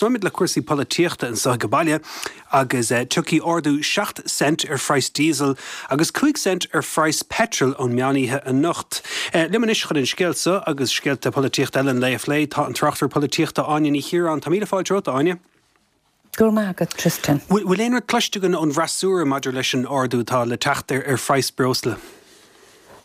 Tosnóimid le cúrsaí polaitíochta anseo ag baile agus tiocfaidh ardú 7 cent ar phraghas díosail agus 5 cent ar phraghas peitril ón meán oíche anocht. Liom anois chun an scéal seo agus scéalta polaitíochta eile an lae a phlé tá an tráchtaire polaitíochta Áine Ní Chiaráin. Tá míle fáilte romhat, a Áine. Go raibh maith agat, Tristan. Bhfuil aon rud cloiste againn ón bhfreasúra maidir leis an ardú atá le teacht ar phraghas breosla?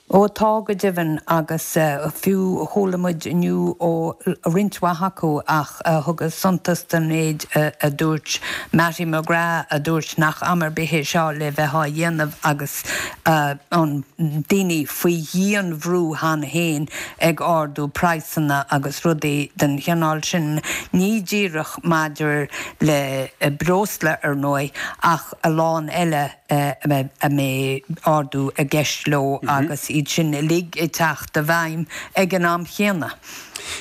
Ó tá, go deimhin, agus fiú chuala muid inniu ó roinnt mhaith acu ach thugas suntas don méid a dúirt Mattie McGrath a dúirt nach am ar bith é seo le bheith á dhéanamh agus an daoine faoi dhian-bhrú cheana féin ag ardú praghsanna agus rudaí den chineál sin, ní díreach maidir le breosla, ar ndóigh, ach a lán eile a mbeidh ardú i gceist leo agus iad sin uilig ag teacht i bhfeidhm ag an am chéanna.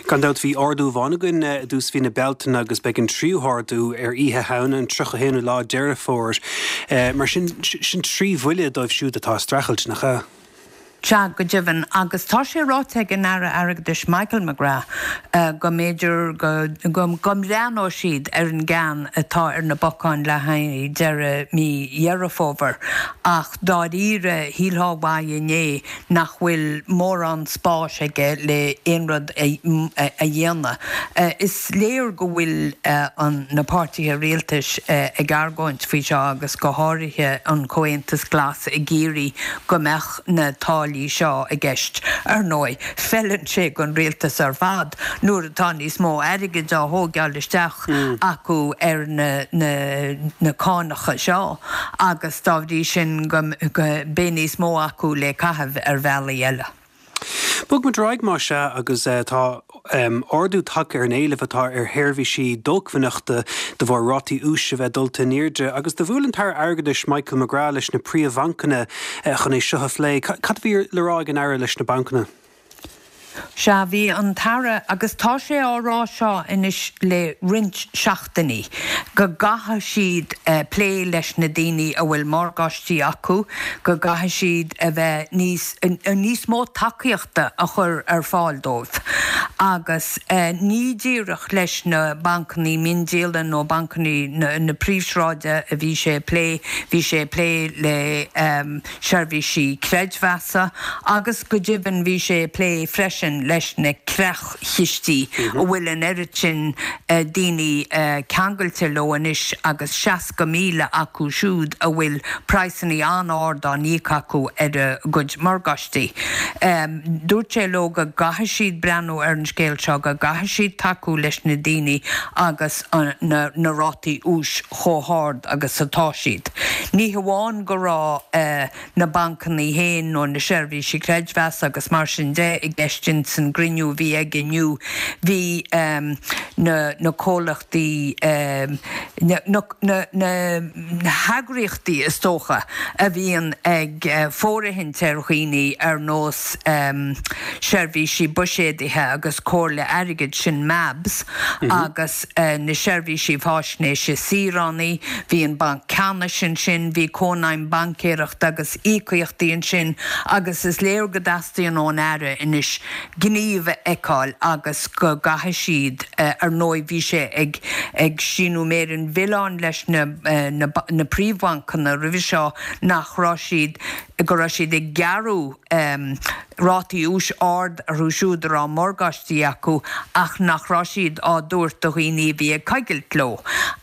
Gan dabht, bhí ardú amháin againn i dtús mhí na Bealtaine agus beidh an tríú hardú ar Oíche Shamhna, an 31ú lá Deireadh Fómhair. Mar sin, sin trí bhuille dóibh siúd atá ag streachailt, nach ea? Sea, go deimhin, agus tá sé ráite ag an Aire Airgeadais Michael McGrath go mb'fhéidir go mbreathnóidh siad ar an gceann atá ar na bacáin le haghaidh deireadh mí Dheireadh Fómhair ach dáiríre shílfeá uaidh inné nach bhfuil mórán spáis aige le aon rud a dhéanamh. Is léir go bhfuil na páirtithe rialtais ag argóint faoi seo agus go háirithe an Comhaontas Glas ag iarraidh go mbeadh na táillí seo i gceist. Ar ndóigh, feileann sé don rialtas ar fad nuair atá níos mó airgid á thógáil isteach acu ar na cánacha seo agus dá bhrí sin go mbeidh níos mó acu le caitheamh ar bhealaí eile. Bogfaidh muid ar aghaidh más ea agus tá ardú tagtha ar an éileamh atá ar sheirbhísí dócmhainneachta de bharr rátaí úis a bheith dulta in airde agus do bhuail an tAire Airgeadais Michael McGrath leis na príomhbhancanna chun é seo a phlé. Cad a bhí le rá ag an Aire leis na bancanna? Sea, bhí an tAire, agus tá sé á rá seo anois le roinnt seachtainí, go gcaithfidh siad plé leis na daoine a bhfuil morgáistí acu, go gcaithfidh siad a bheith níos, níos mó tacaíochta a chur ar fáil dóibh. Agus ní díreach leis na bancannaí miondíola nó bancannaí na príomhshráide a bhí sé ag plé, bhí sé ag plé le seirbhísí creidmheasa agus go deimhin bhí sé ag plé freisin leis na creach-chistí a bhfuil an oiread sin daoine ceangailte leo anois agus 60,000 acu siúd a bhfuil praghsanna an-ard á n-íoc acu ar a gcuid morgáistí. Dúirt sé leo go gcaithfidh siad breathnú ar an scéal seo, go gcaithfidh siad tacú leis na daoine agus na rátaí úis chomh hard agus atá siad. Ní hamháin go raibh na bancannaí féin nó na seirbhísí creidmheasa agus mar sin de i gceist ins an gcruinniú a bhí aige inniu, bhí na comhlachtaí, na heagraíochtaí is dócha a bhíonn ag fóirithint ar dhaoine ar nós seirbhísí buiséadaithe agus comhairle airgid, sin MABS, agus na seirbhísí faisnéise saoránaí, bhí an Banc Ceannais ansin, bhí Cónaidhm Baincéireachta agus Íocaíochtaí ansin agus is léir go dteastaíonn ón Aire anois gníomh a fheiceáil agus go gcaithfidh siad, ar ndóigh bhí sé ag ag síneadh méar an mhilleáin leis na na príomhbhancanna roimhe seo nach raibh siad, go raibh siad ag gearradh rátaí úis ard orthu siúd a raibh morgáistí acu ach nach raibh siad á dtabhairt do dhaoine a bhí ag coigilt leo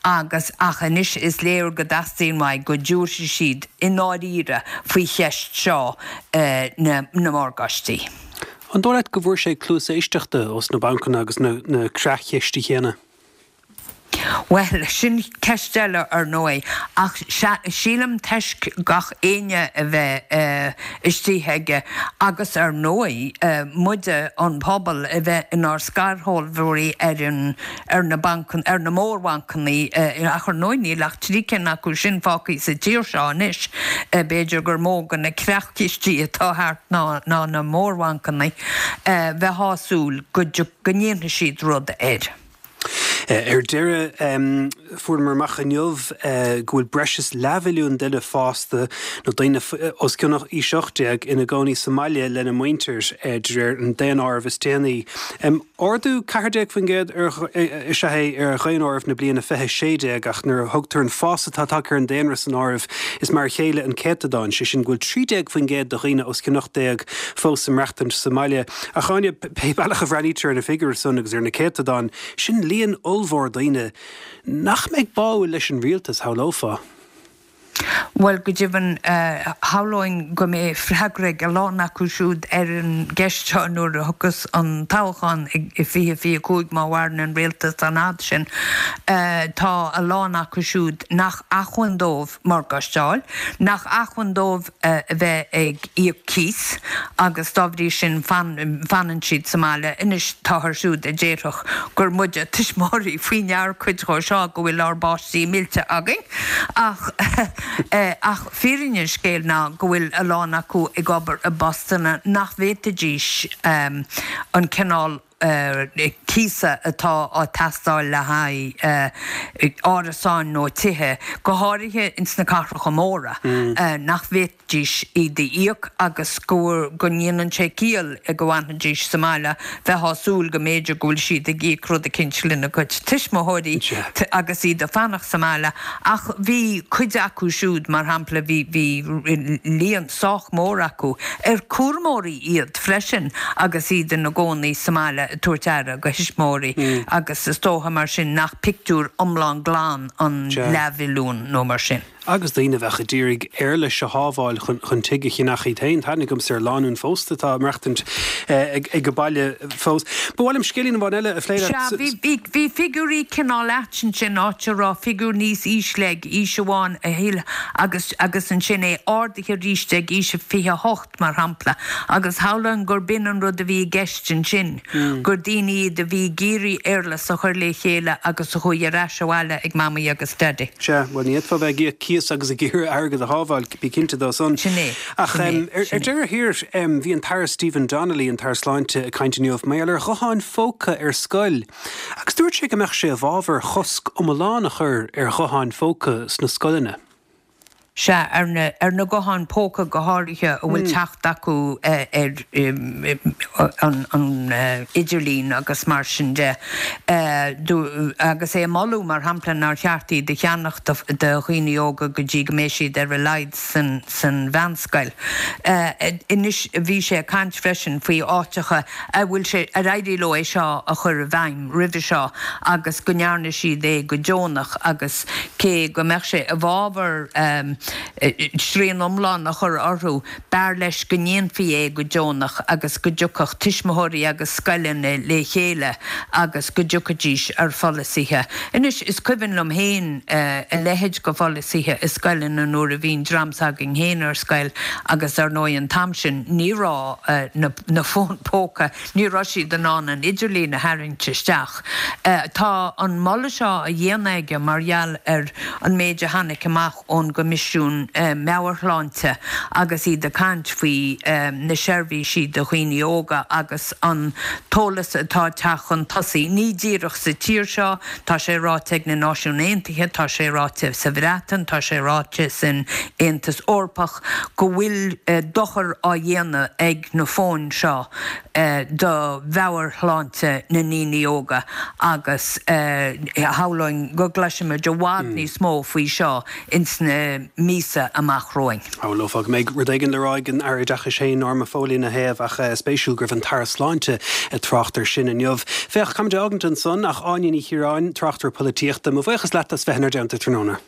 agus ach anois is léir go dteastaíonn uaidh go dtabharfaidh siad i ndáiríre faoi cheist seo na morgáistí. An dóigh leat go bhfuair sé cluas éisteachta ós na bancanna agus na creach-chistí chéanna? Bhuel, sin ceist eile ar ndóigh, ach sílim toisc gach éinne a bheith istigh aige agus ar ndóigh muide, an pobal, a bheith inár scairshealbhóirí ar an, ar na bancanna, ar na mórbhancanna, ach ar ndóigh níl ach 3 cinn acu sin fágtha sa tír seo anois, b'fhéidir gur mó de na creach-chistí atá thart ná na mórbhancanna, bheifeá ag súil go, go ndéanfaidh siad rud air. Ar deireadh, fuaireamar amach inniu go bhfuil breis is leathmhilliún duine fásta, nó daoine os cionn aois 18, ina gcónaí sa mbaile lena muintir, de réir an daonáirimh is déanaí. Ardú 14% is ea é ar dhaonáireamh na bliana 2016 ach nuair a thugtar an fás atá tagtha ar an daonra san áireamh is mar a chéile an céatadán, sé sin go bhfuil 13% de dhaoine os cionn 18 fós ag maireachtaint sa mbaile. Ach Áine, pé bealach a bhreathnaítear ar na figiúirí san agus ar na céatadáin, sin líon ollmhór daoine nach mbeidh báúil leis an rialtas, shamhlófá. Bhuel, go deimhin, shamhlóinn go mbeidh freagra ag a lán acu siúd ar an gceist seo nuair a thiocfas an toghchán i 2025, má mhaireann an rialtas an fhad sin. Tá a lán acu siúd nach acmhainn dóibh morgáiste a fháil, nach acmhainn dóibh a bheith ag íoc cíos agus dá bhrí sin fanann siad sa mbaile. Anois, táthar siúd a déarfadh gur muide tuismitheoirí faoi ndear cuid dhó seo, go bhfuil ár bpáistí millte againn. Ach ach fírinne an scéil ná go bhfuil a lán acu ag obair i bpostanna nach bhféadfaidís an cineál cíosa atá á teastáil le haghaidh árasáin nó tithe, go háirithe ins na cathracha móra, nach bhféadfaidís dís iad a íoc agus go go ndéanann sé ciall go bhfanfaidís sa mbaile, bheifeá ag súil go mb'fhéidir go bhfuil siad ag íoc rud eicínt lena gcuid tuismitheoirí agus iad ag fanacht sa mbaile. Ach bhí cuid acu siúd, mar shampla, bhí bhí líon sách mór acu ar cúramóirí iad freisin agus iad ina gcónaí sa mbaile ag tabhairt aire do thuismitheoirí agus is dócha mar sin nach pictiúr iomlán glan an leathmhilliún nó mar sin. Agus daoine a bheadh a d'iarraidh éarlais a shábháil chun tigh a cheannach iad féin. Tá aithne agamsa ar lánúin phósta atá ag maireachtaint ag baile fós. Ba mhaith liom scéilín amháin eile a phlé leat. Sea, bhí, bhí figiúirí cineál ait ansin, áit a raibh figiúr níos ísle ag aois amháin a thuilleadh agus, agus ansin é ardaithe arís ag aois a 28. mar shampla, agus shamhlóinn gur b'in an rud a bhí i gceist ansin, gur daoine iad a bhí ag iarraidh éarlais a chur le chéile agus a chuaigh ar ais abhaile ag Mamaí agus Daidí. Sea, bhuel, ní fhéadfá bheith ag íoc cíos agus ag iarraidh airgead a shábháil, bí cinnte dó san. Sin é, Ach sin é, ar sin é. deireadh thiar, bhí an tAire Stephen Donnelly, an tAire Sláinte, ag caint inniu mar gheall ar ghutháin phóca ar scoil, agus dúirt sé go mbeadh sé i bhfabhar chosc iomlán a chur ar ghutháin phóca sna scoileanna. Sea, ar na, ar na gutháin póca go háirithe a bhfuil teacht acu ar an, an idirlíon agus mar sin de. Agus é ag moladh, mar shampla, nár cheart iad a cheannach do dhaoine óga go dtí go mbeidh siad ar a laghad san, san mheánscoil. Anois, bhí sé ag caint freisin faoi áiteacha a bhfuil sé, ar éirigh leo é seo a chur i bhfeidhm roimhe seo agus go ndearna siad é go deonach agus, Cé go mbeadh sé i bhfabhar srian iomlán a chur orthu, b'fhearr leis go ndéanfaí é go deonach agus go dtiocfadh tuismitheoirí agus scoileanna le chéile agus go dtiocfaidís ar pholasaithe. Anois, is cuimhin liom féin a leithéid de pholasaithe i scoileanna nuair a bhí an dream s'againn féin ar scoil agus ar ndóigh an t-am sin ní raibh na fóin póca, ní raibh siad in ann an idirlíon a tharraingt isteach. Tá an moladh seo á dhéanamh aige mar gheall ar an méid a tháinig amach ón gCoimisiún Meabhairshláinte agus iad ag caint faoi na seirbhísí do dhaoine óga agus an t-eolas atá ag teacht chun tosaigh, ní díreach sa tír seo, tá sé ráite ag na Náisiúin Aontaithe, tá sé ráite sa Bhreatain, tá sé ráite san Aontas Eorpach, go bhfuil dochar á dhéanamh ag na fóin seo. do mheabhairshláinte na ndaoine óga agus shamhlóinn go gcloisfimid i bhfad níos mó faoi seo ins na míosa amach romhainn. Shamhlófá go mbeidh rud éigin le rá ag an Aire Oideachais féin, Norma Foley, ina thaobh ach spéisiúil go raibh an tAire Sláinte ag trácht air sin inniu. Féach, caithfimid a fhágaint ansan ach Áine Ní Chiaráin, tráchtaire polaitíochta, mo bhuíochas leat as bheith inár dteannta tráthnóna.